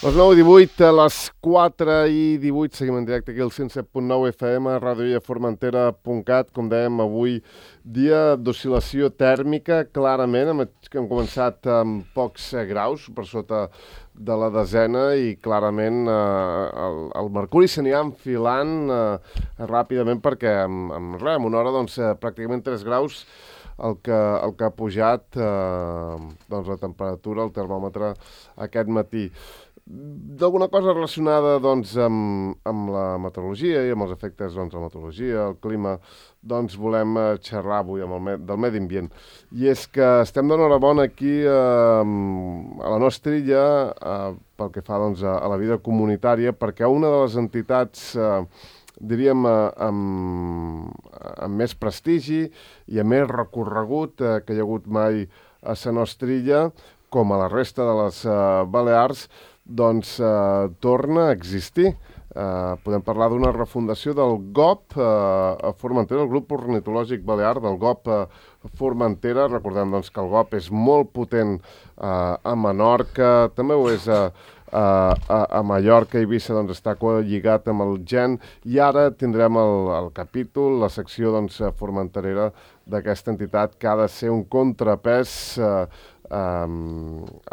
Les 9:18, a les 4:18, seguim en directe aquí al 107.9 FM, radioillaformentera.cat. Com dèiem, avui dia d'oscil·lació tèrmica, clarament, hem començat amb pocs graus per sota de la desena i clarament el mercuri se n'hi ha enfilant ràpidament perquè en una hora pràcticament 3 graus el que ha pujat la temperatura, el termòmetre aquest matí. D'alguna cosa relacionada amb la meteorologia i amb els efectes de la meteorologia, el clima, volem xerrar avui del medi ambient. I és que estem d'enhorabona aquí a la nostra illa pel que fa a la vida comunitària, perquè una de les entitats diríem amb més prestigi i amb més recorregut que hi ha hagut mai a la nostra illa, com a la resta de les Balears, torna a existir. Podem parlar d'una refundació del GOP a Formentera, el grup ornitològic balear del GOP a Formentera. Recordem que el GOP és molt potent a Menorca, també ho és a Mallorca i Eivissa, està lligat amb el GEN, i ara tindrem el capítol, la secció formenterera d'aquesta entitat, que ha de ser un contrapès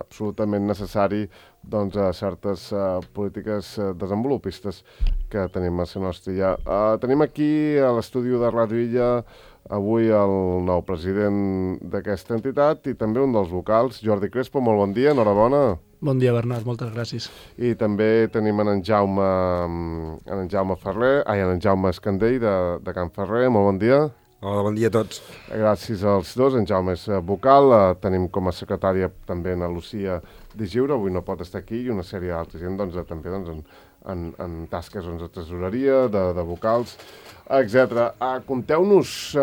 absolutament necessari a certes polítiques desenvolupistes que tenim a la nostra illa. Tenim aquí a l'estudi de Ràdio Illa avui el nou president d'aquesta entitat i també un dels vocals, Jordi Crespo. Molt bon dia, enhorabona. Bon dia, Bernat, moltes gràcies. I també tenim en Jaume Ferrer, en Jaume Escandell de Can Ferrer. Molt bon dia. Hola, bon dia a tots. Gràcies als dos. En Jaume és vocal, tenim com a secretària també en Lucía Di Giure, avui no pot estar aquí, i una sèrie d'altra gent també en tasques de tresoreria, de vocals, etc. Conteu-nos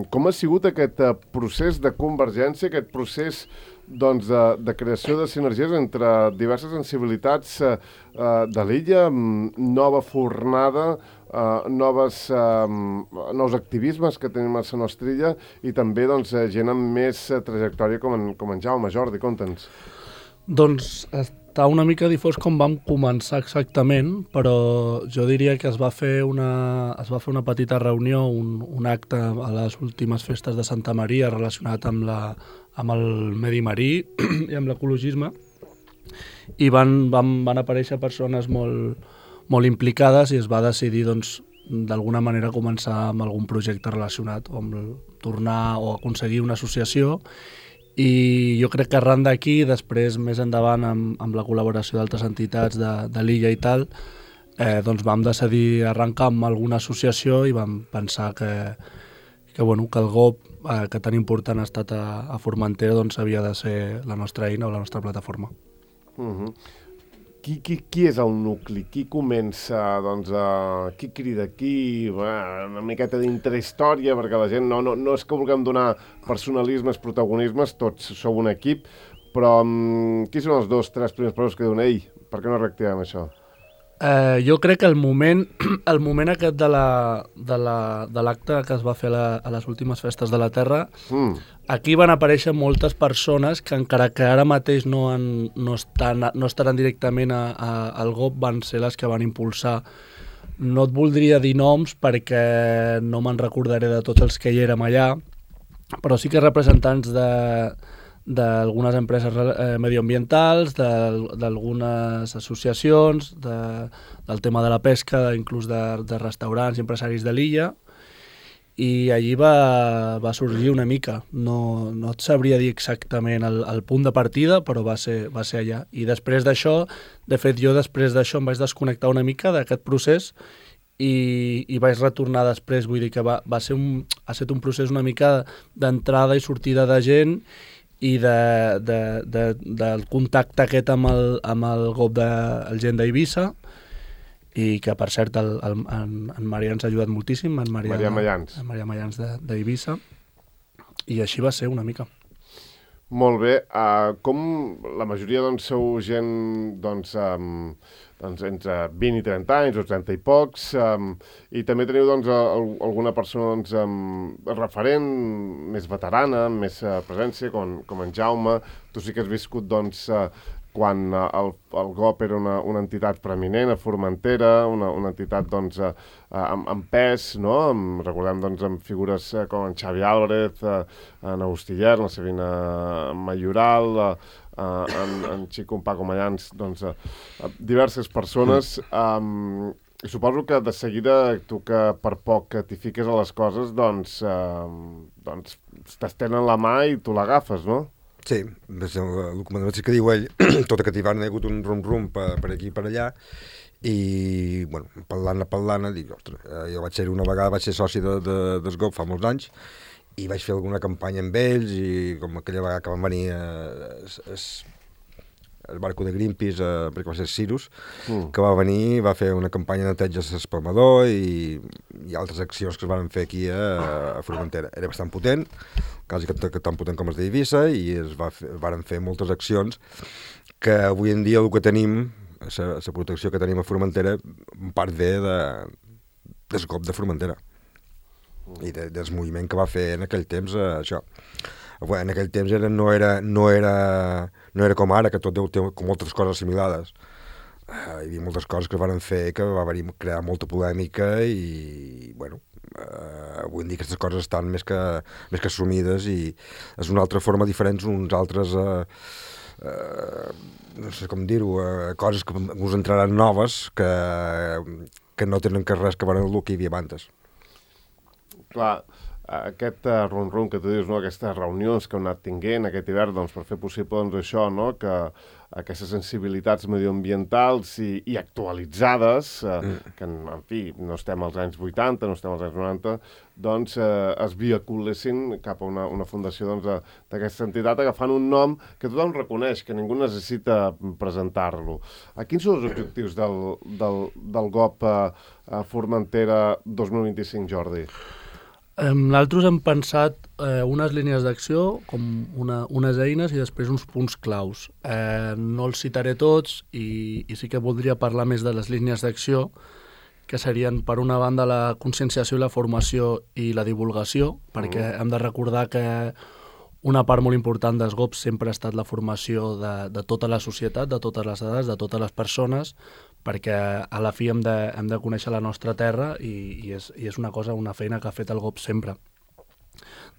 com ha sigut aquest procés de convergència, aquest procés de creació de sinergies entre diverses sensibilitats de l'illa, nova fornada, nous activismes que tenim a la nostra illa i també gent amb més trajectòria com en Jaume. Jordi, conta'ns. Doncs està una mica difós com vam començar exactament, però jo diria que es va fer una petita reunió, un acte a les últimes festes de Santa Maria relacionat amb el medi marí i amb l'ecologisme, i van aparèixer persones molt implicades i es va decidir d'alguna manera començar amb algun projecte relacionat o amb tornar o aconseguir una associació. I jo crec que arran d'aquí, després més endavant amb la col·laboració d'altres entitats de l'illa i tal, vam decidir arrencar amb alguna associació i vam pensar que el GOP, que tan important ha estat a Formentera, havia de ser la nostra eina o la nostra plataforma. Qui és el nucli? Qui comença? Qui crida qui? Una miqueta d'intrahistòria, perquè la gent no és que vulguem donar personalismes, protagonismes, tots sou un equip, però qui són els 2-3 primers passos que diuen per què no reactivem això? Jo crec que el moment aquest de l'acte que es va fer a les últimes festes de la Terra, aquí van aparèixer moltes persones que encara que ara mateix no estaran directament al GOP, van ser les que van impulsar. No et voldria dir noms perquè no me'n recordaré de tots els que hi érem allà, però sí que representants d'algunes empreses medioambientals, d'algunes associacions, del tema de la pesca, inclús de restaurants i empresaris de l'illa, i allí va sorgir una mica. No et sabria dir exactament el punt de partida, però va ser allà. I després d'això, de fet jo després d'això em vaig desconnectar una mica d'aquest procés i vaig retornar després, vull dir que ha estat un procés una mica d'entrada i sortida de gent i del contacte aquest amb el GOP del gent d'Eivissa, i que per cert en Marià ens ha ajudat moltíssim, en Marià Mallans d'Eivissa, i així va ser una mica. Molt bé. Com la majoria sou gent entre 20 i 30 anys o 30 i pocs, i també teniu alguna persona referent, més veterana, amb més presència, com en Jaume. Tu sí que has viscut quan el GOP era una entitat preeminent a Formentera, una entitat doncs, amb pes, no? Recordem doncs, amb figures com en Xavi Álvarez, en Agustí Ller, la Sabina Mayoral, en Xico Paco Mayans, doncs, diverses persones. I suposo que de seguida tu que per poc que t'hi fiques a les coses, doncs t'estenen la mà i tu l'agafes, no? Sí, el que diu ell, tota que t'hi van, hi ha hagut un rum-rum per aquí i per allà, i, bueno, parlant, dic, ostres, jo una vegada vaig ser soci del GOP fa molts anys, i vaig fer alguna campanya amb ells, i com aquella vegada que van venir el barco de Greenpeace, perquè va ser Cirus, que va venir, va fer una campanya de neteja a l'espalmador i altres accions que es van fer aquí a Formentera. Era bastant potent, quasi que tan potent com els d'Eivissa, i van fer moltes accions que avui en dia el que tenim, la protecció que tenim a Formentera, en part ve del GOP de Formentera i del moviment que va fer en aquell temps això. En aquell temps no era com ara, que tot té com moltes coses assimilades. Hi havia moltes coses que van fer que va crear molta polèmica i, bueno, avui en dia aquestes coses estan més que assumides i és una altra forma diferent, uns altres, no sé com dir-ho, coses que us entraran noves que no tenen res que veure amb el que hi havia abans. Clar, aquest rum-rum que tu dius, no? Aquestes reunions que heu anat tinguent aquest hivern, doncs, per fer possible doncs, això, no? Que aquestes sensibilitats medioambientals i actualitzades, que en fi, no estem als anys 80, no estem als anys 90, doncs es vinculessin cap a una fundació d'aquesta entitat, agafant un nom que tothom reconeix, que ningú necessita presentar-lo. Quins són els objectius del GOP Formentera 2025, Jordi? Nosaltres hem pensat unes línies d'acció, com unes eines i després uns punts claus. No els citaré tots i sí que voldria parlar més de les línies d'acció, que serien, per una banda, la conscienciació i la formació i la divulgació, perquè hem de recordar que una part molt important dels GOPs sempre ha estat la formació de tota la societat, de totes les edats, de totes les persones, perquè a la fi hem de conèixer la nostra terra i és una feina que ha fet el GOP sempre.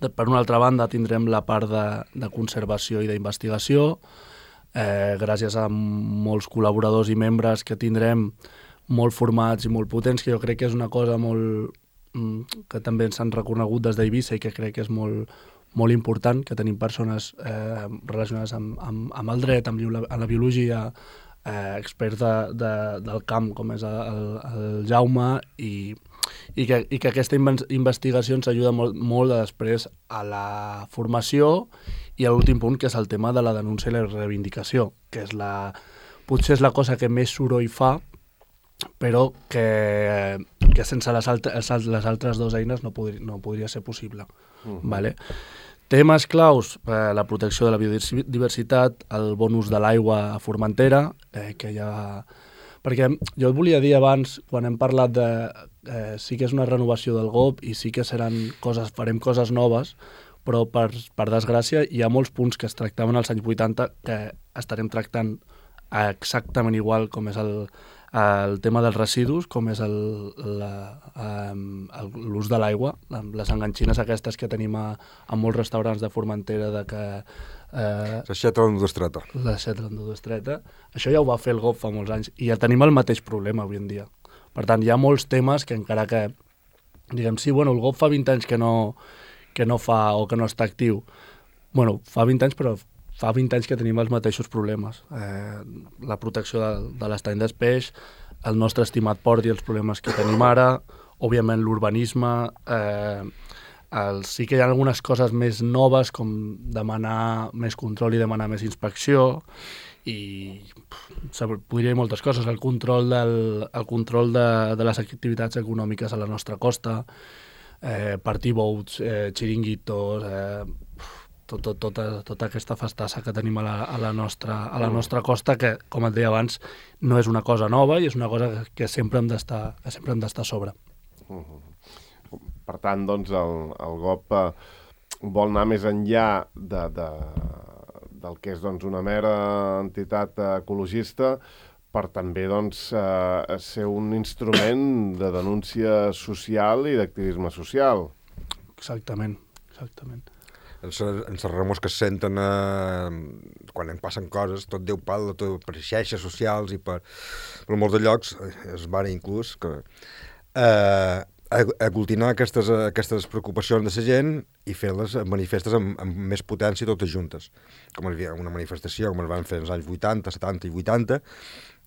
Per una altra banda, tindrem la part de conservació i d'investigació, gràcies a molts col·laboradors i membres que tindrem molt formats i molt potents, que jo crec que és una cosa que també ens han reconegut des d'Eivissa i que crec que és molt important, que tenim persones relacionades amb el dret, amb la biologia, experts del camp, com és el Jaume, i que aquesta investigació ens ajuda molt després a la formació i a l'últim punt, que és el tema de la denúncia i la reivindicació, que potser és la cosa que més soroll fa, però que sense les altres dues eines no podria ser possible. Vale? Temes claus, la protecció de la biodiversitat, el bon ús de l'aigua a Formentera, perquè jo et volia dir abans, quan hem parlat sí que és una renovació del GOP i sí que farem coses noves, però per desgràcia hi ha molts punts que es tractaven als anys 80 que estarem tractant exactament igual, com és el tema dels residus, com és l'ús de l'aigua, les enganxines aquestes que tenim a molts restaurants de Formentera, l'aixeta l'endostreta. L'aixeta l'endostreta. Això ja ho va fer el GOP fa molts anys i ja tenim el mateix problema avui en dia. Per tant, hi ha molts temes que encara que, diguem, sí, bueno, el GOP fa 20 anys que no fa o que no està actiu. Bueno, fa 20 anys, però fa 20 anys que tenim els mateixos problemes. La protecció de l'estany d'espeix, el nostre estimat port i els problemes que tenim ara, òbviament l'urbanisme, sí que hi ha algunes coses més noves, com demanar més control i demanar més inspecció, i podria dir moltes coses, el control de les activitats econòmiques a la nostra costa, party boats, xiringuitos, tota aquesta festassa que tenim a la nostra costa, que, com et deia abans, no és una cosa nova i és una cosa que sempre hem d'estar a sobre. Per tant, doncs, el GOP vol anar més enllà del que és doncs, una mera entitat ecologista per també doncs, ser un instrument de denúncia social i d'activisme social. Exactament, exactament. Els remors que es senten quan en passen coses, tot Déu parla, tot per xarxes socials i per molts de llocs, es van inclús que aglutinar aquestes preocupacions de la gent i fer-les manifestes amb més potència totes juntes. Com hi havia una manifestació, com es van fer als anys 80, 70 i 80,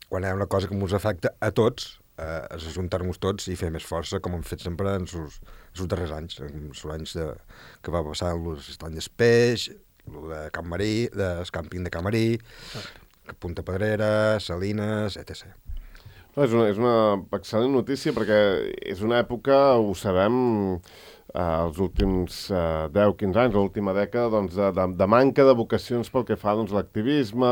quan hi ha una cosa que ens afecta a tots, ajuntar-nos tots i fer més força, com hem fet sempre en els darrers anys, els anys que va passar l'any d'Espeix, el de Can Marí, el càmping de Can Marí, Punta Pedrera, Salines, etc. No, és una excel·lent notícia perquè és una època, ho sabem, els últims 10-15 anys, l'última dècada, doncs, de manca de vocacions pel que fa doncs, a l'activisme,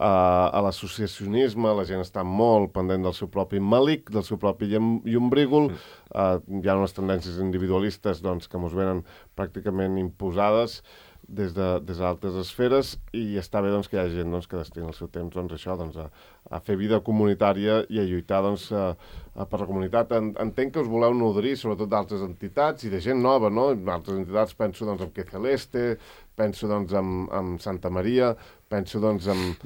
a l'associacionisme, la gent està molt pendent del seu propi malic, del seu propi llombrígol, hi ha unes tendències individualistes doncs, que ens venen pràcticament imposades des d'altres esferes i està bé doncs, que hi ha gent doncs, que destina el seu temps doncs, això, doncs, a fer vida comunitària i a lluitar doncs, per la comunitat. Entenc que us voleu nodrir sobretot d'altres entitats i de gent nova, no? Altres entitats penso doncs, en Que Celeste, penso doncs, en Santa Maria, penso doncs, en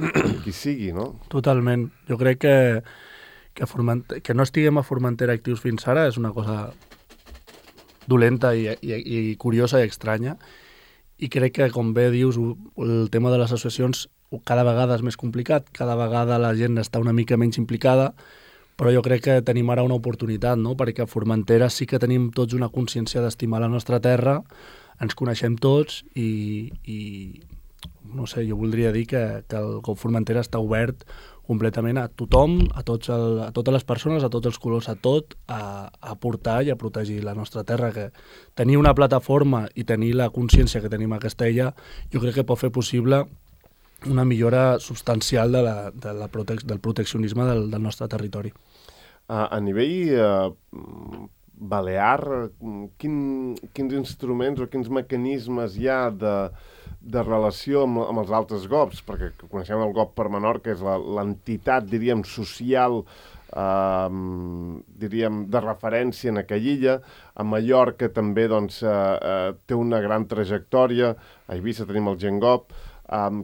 qui sigui, no? Totalment. Jo crec que no estiguem a Formentera actius fins ara és una cosa dolenta i curiosa i estranya. I crec que, com bé dius, el tema de les associacions cada vegada és més complicat, cada vegada la gent està una mica menys implicada, però jo crec que tenim ara una oportunitat, no? Perquè a Formentera sí que tenim tots una consciència d'estimar la nostra terra, ens coneixem tots i no sé, jo voldria dir que el GOV Formentera està obert completament a tothom, a totes les persones, a tots els colors, a tot, a aportar i a protegir la nostra terra. Que tenir una plataforma i tenir la consciència que tenim a Castella, jo crec que pot fer possible una millora substancial del proteccionisme del nostre territori. A nivell balear, quins instruments o quins mecanismes hi ha de relació amb els altres GOVs, perquè coneixem el GOV per Menorca, que és l'entitat, diríem, social, diríem, de referència en aquella illa. A Mallorca també doncs, té una gran trajectòria, a Eivissa tenim el GenGov.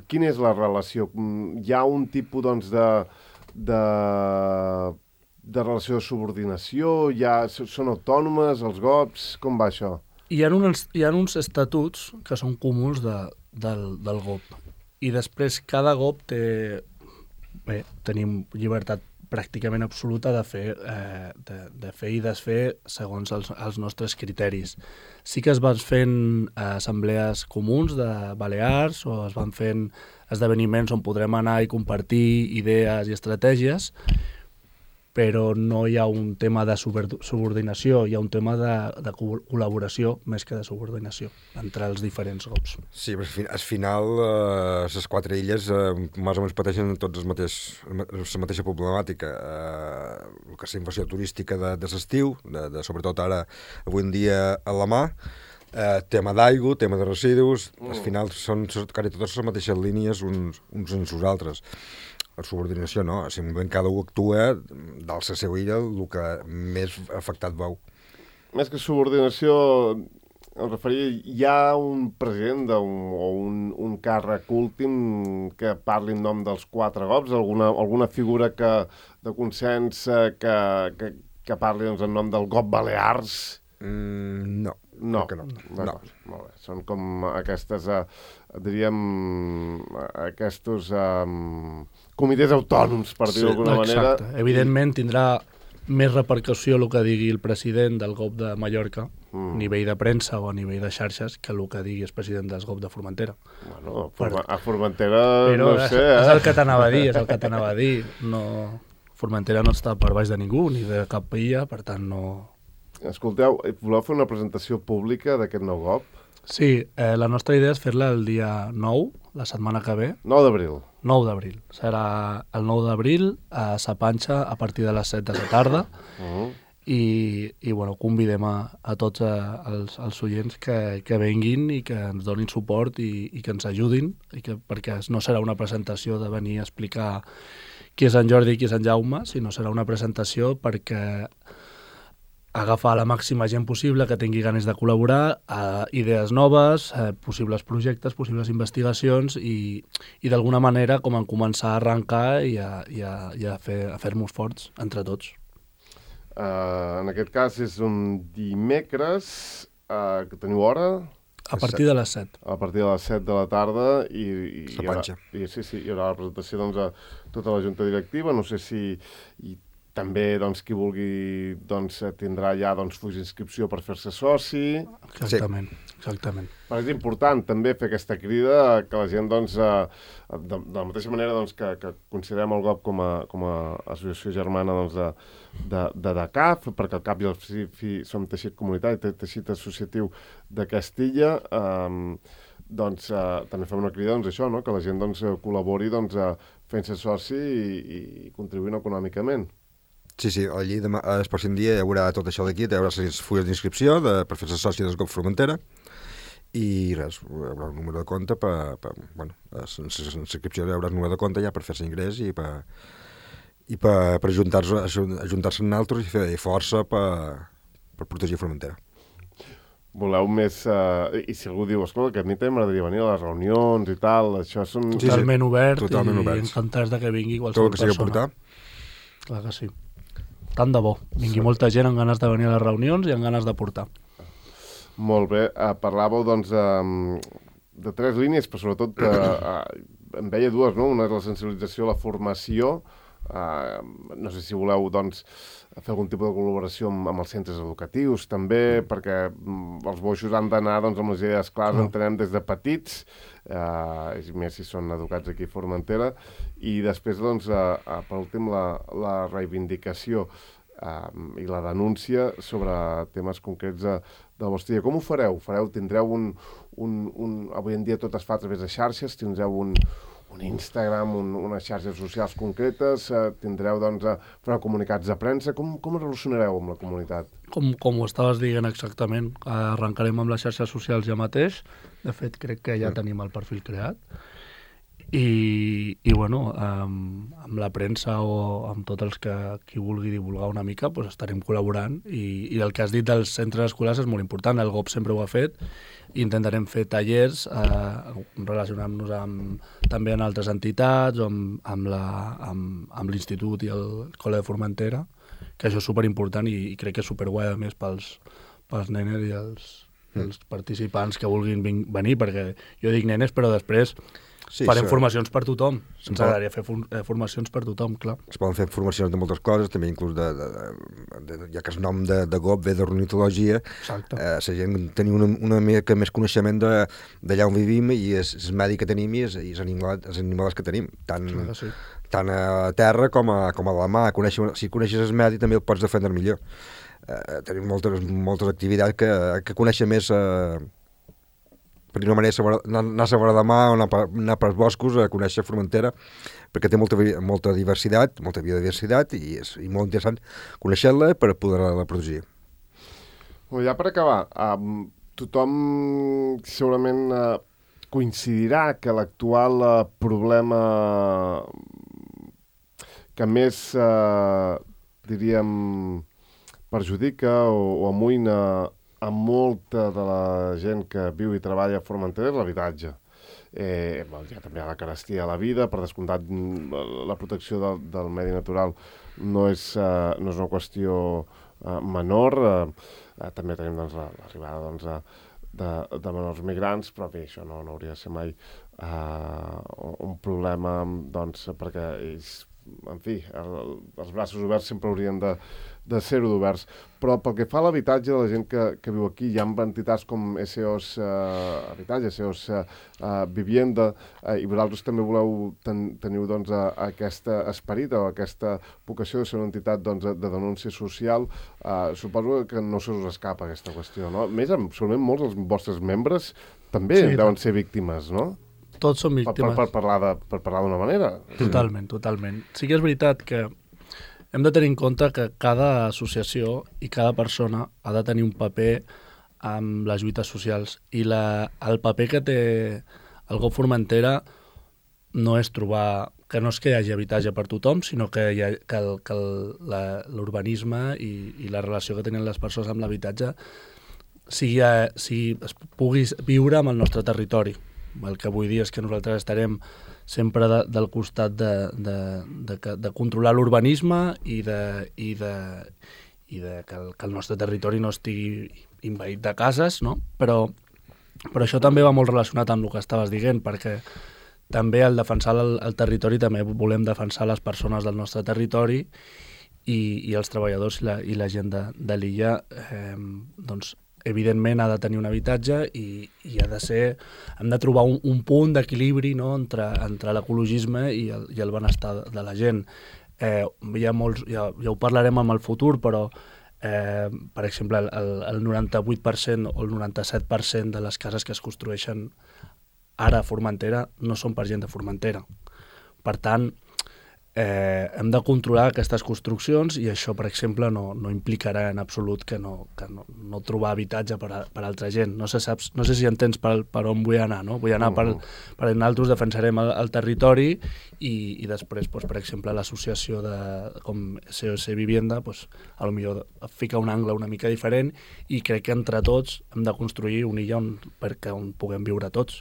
Quina és la relació? Hi ha un tipus doncs, de relació de subordinació? Són autònomes, els GOVs? Com va això? Hi ha uns estatuts que són comuns del GOV i després cada GOV tenim llibertat pràcticament absoluta de fer i desfer segons els nostres criteris. Sí que es van fent assemblees comuns de Balears o es van fent esdeveniments on podrem anar i compartir idees i estratègies, però no hi ha un tema de subordinació, hi ha un tema de col·laboració més que de subordinació entre els diferents GOVs. Sí, però al final les quatre illes més o menys pateixen tots la mateixa problemàtica. El que és la inversió turística de l'estiu, sobretot ara, avui en dia, a la mà, tema d'aigua, tema de residus, al final són quasi totes les mateixes línies uns en els altres. La subordinació no, simplement cada un actua dalt la seva illa el que més afectat veu. Més que subordinació, em referia, hi ha un president o un càrrec últim que parli en nom dels quatre GOVs, alguna figura de consens que parli doncs, en nom del GOV Balears? No. No. No. Molt bé. Són com aquestes, diríem, aquests comitès autònoms, per dir-ho d'alguna manera. Exacte. Evidentment tindrà més repercussió el que digui el president del GOV de Mallorca, a nivell de premsa o a nivell de xarxes, que el que digui el president del GOV de Formentera. Bueno, a Formentera però no sé, és el que t'anava a dir, No, Formentera no està per baix de ningú, ni de cap illa, per tant no... Escolteu, voleu fer una presentació pública d'aquest nou GOV? Sí, la nostra idea és fer-la el dia 9, la setmana que ve. 9 d'abril. 9 d'abril. Serà el 9 d'abril a Sa Panxa a partir de les 7 de la tarda. i bueno, convidem a tots els oients que venguin i que ens donin suport i que ens ajudin, perquè no serà una presentació de venir a explicar qui és en Jordi i qui és en Jaume, sinó serà una presentació perquè agafar la màxima gent possible que tingui ganes de col·laborar, idees noves, possibles projectes, possibles investigacions i d'alguna manera com en començar a arrencar i a fer-nos forts entre tots. En aquest cas és un dimecres, que teniu hora? A partir de les 7. A partir de les 7 de la tarda i hi haurà la presentació doncs, a tota la junta directiva. No sé si també qui vulgui tindrà ja fulls d'inscripció per fer-se soci. Exactament. Però és important també fer aquesta crida que la gent, de la mateixa manera que considerem el GOP com a associació germana de DACAF, perquè al cap i al fi som teixit comunitari, teixit associatiu de Castilla, també fem una crida això, no? Que la gent col·labori fent-se soci i contribuint econòmicament. Sí, allí el pròxim dia hi haurà tot això d'aquí, hi haurà les fulles d'inscripció per fer-se soci del GOP Formentera i res, hi haurà un número de compte l'inscripció hi haurà un número de compte ja per fer-se ingrés i per ajuntar-se en altres i fer força per protegir Formentera. Voleu més... I si algú diu, escolta, que a mi també m'agradaria venir a les reunions i tal, això són... Totalment obert i encantats que vingui qualsevol persona. Tot el que sigui a portar. Clar que sí. Tant de bo. Vingui molta gent amb ganes de venir a les reunions i amb ganes de portar. Molt bé. Parlàveu, de 3 línies, però sobretot en veia 2, no? Una és la sensibilització, la formació. No sé si voleu, fer algun tipus de col·laboració amb els centres educatius, també, perquè els boixos han d'anar amb les idees clares, entenem des de petits, més si són educats aquí a Formentera, i després, per últim, la reivindicació i la denúncia sobre temes concrets del vostre dia. Com ho fareu? Tindreu avui en dia tot es fa a través de xarxes, tindreu un Instagram, unes xarxes socials concretes, tindreu, fareu comunicats de premsa. Com es relacionareu amb la comunitat? Com ho estaves dient exactament, arrencarem amb les xarxes socials ja mateix. De fet, crec que ja tenim el perfil creat. I bueno, amb la premsa o amb tots els qui vulgui divulgar una mica, estarem col·laborant i el que has dit dels centres escolars és molt important. El GOP sempre ho ha fet i intentarem fer tallers relacionant-nos també amb altres entitats o amb l'institut i el Col·le de Formentera, que això és superimportant i crec que és superguai a més pels nenes i els participants que vulguin venir, perquè jo dic nenes però després farem formacions per tothom. Ens agradaria fer formacions per tothom, clar. Es poden fer formacions de moltes coses, també inclús ja que el nom de GOP ve d'ornitologia, la gent tenir una mica més coneixement d'allà on vivim i el medi que tenim i els animals que tenim, tant a terra com a la mà. Si coneixes el medi també el pots defendre millor. Tenim moltes activitats que conèixer més... per una manera, anar a la vora de mà o anar pels boscos a conèixer Formentera, perquè té molta diversitat, molta biodiversitat i és molt interessant conèixer-la per poder-la protegir. Ja per acabar, tothom segurament coincidirà que l'actual problema que més, diríem, perjudica o amoïna a molta de la gent que viu i treballa a Formentera és l'habitatge. Ja també hi ha la carestia a la vida, per descomptat la protecció del medi natural no és una qüestió menor. També tenim l'arribada de menors migrants, però bé, això no hauria de ser mai un problema, perquè ells, en fi, els braços oberts sempre haurien de ser-ho d'oberts. Però pel que fa a l'habitatge de la gent que viu aquí, hi ha entitats com SOS Habitatge, SOS Vivienda, i vosaltres també teniu aquest esperit o aquesta vocació de ser una entitat de denúncia social. Suposo que no se us escapa aquesta qüestió, no? Més, segurament molts dels vostres membres també deuen ser víctimes, no? Tots són víctimes. Per parlar d'una manera. Totalment. Sí que és veritat que hem de tenir en compte que cada associació i cada persona ha de tenir un paper amb les lluites socials i el paper que té el GOP Formentera no és trobar que no és que hi hagi habitatge per tothom, sinó que l'urbanisme i la relació que tenen les persones amb l'habitatge es pugui viure amb el nostre territori. El que vull dir és que nosaltres estarem sempre del costat de controlar l'urbanisme i de que el nostre territori no estigui envaït de cases, no? Però això també va molt relacionat amb el que estaves dient, perquè també al defensar el territori també volem defensar les persones del nostre territori i els treballadors i la gent de l'illa, doncs, evidentment ha de tenir un habitatge i hem de trobar un punt d'equilibri, no?, entre l'ecologisme i el benestar de la gent. Ja ho parlarem en el futur, però per exemple el 98% o el 97% de les cases que es construeixen ara a Formentera no són per gent de Formentera. Per tant, hem de controlar aquestes construccions i això, per exemple, no implicarà en absolut que no trobar habitatge per altra gent. No sé si entens per on vull anar, no? Vull anar per nosaltres defensarem el territori i després, per exemple, l'associació com SOS Vivienda, potser fica un angle una mica diferent i crec que entre tots hem de construir una illa on puguem viure tots.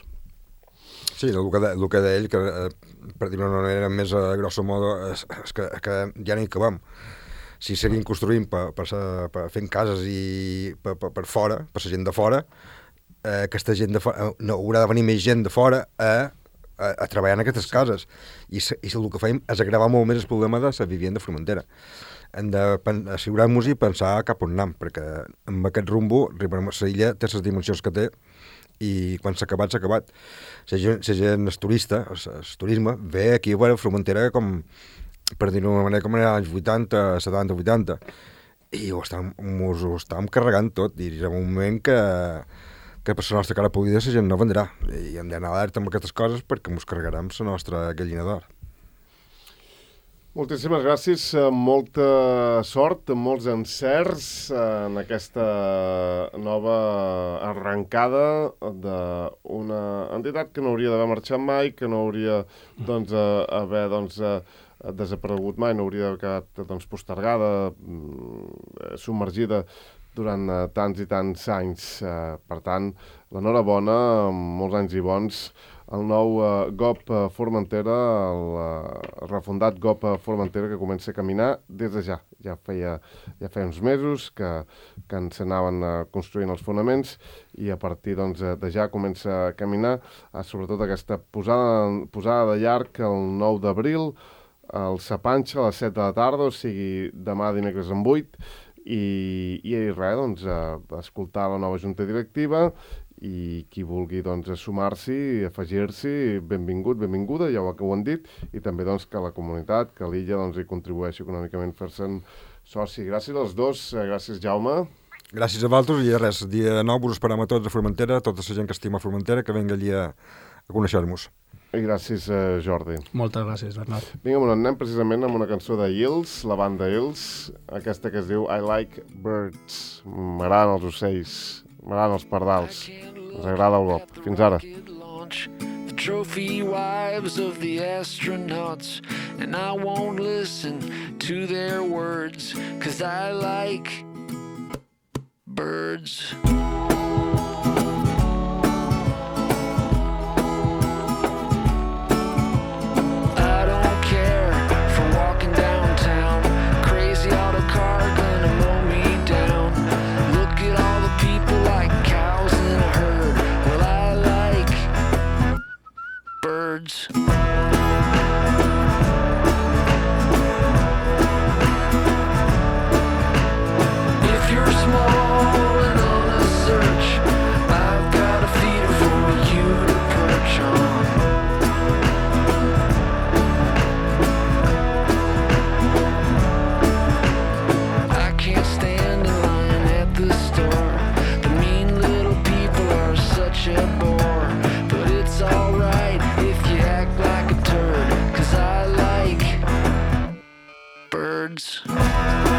Sí, el que deia ell, que per dir-ho d'una manera més grosso modo, és que ja n'hi acabem. Si seguim construint fent cases i per fora, per la gent de fora, aquesta gent de fora, no, haurà de venir més gent de fora a treballar en aquestes cases. I el que fem és agravar molt més el problema de la vivenda de Formentera. Hem d'assegurar-nos i pensar cap on anem, perquè amb aquest rumbo la illa té les dimensions que té i quan s'ha acabat, s'ha acabat. La gent és turista, el turisme, ve aquí a veure Formentera com, per dir-ho d'una manera, com era als 80, 70, 80, i ho estàvem carregant tot, i hi ha un moment que per la nostra cara polida la gent no vendrà, i hem d'anar alerta amb aquestes coses perquè ens carregarem la nostra gallina d'or. Moltíssimes gràcies, molta sort, molts encerts en aquesta nova arrencada d'una entitat que no hauria d'haver marxat mai, que no hauria haver desaparegut mai, no hauria d'haver quedat postergada, submergida durant tants i tants anys. Per tant, l'enhorabona, molts anys i bons, el nou GOP Formentera, el refundat GOP Formentera, que comença a caminar des de ja. Ja feia uns mesos que ens anaven construint els fonaments i a partir de ja comença a caminar, sobretot aquesta posada de llarg el 9 d'abril, el Sapanxa a les 7 de la tarda, o sigui, demà dimecres en 8, i res, escoltar la nova junta directiva i qui vulgui sumar-s'hi, afegir-s'hi, benvingut, benvinguda, ja ho han dit, i també que la comunitat, que l'illa hi contribueixi econòmicament fer-se'n soci. Gràcies als dos, gràcies Jaume. Gràcies a vosaltres i res, dia 9 us esperem a tots a Formentera, tota la gent que estima Formentera, que vengui allí a conèixer-nos. I gràcies, Jordi. Moltes gràcies, Bernat. Vinga, anem precisament amb una cançó de Hills, la banda Hills, aquesta que es diu I Like Birds. M'agraden els ocells, m'agraden els pardals. Ens agrada el GOP. Fins ara. The trophy wives of the astronauts, and I won't listen to their words, 'cause I like birds. If you're small and on a words.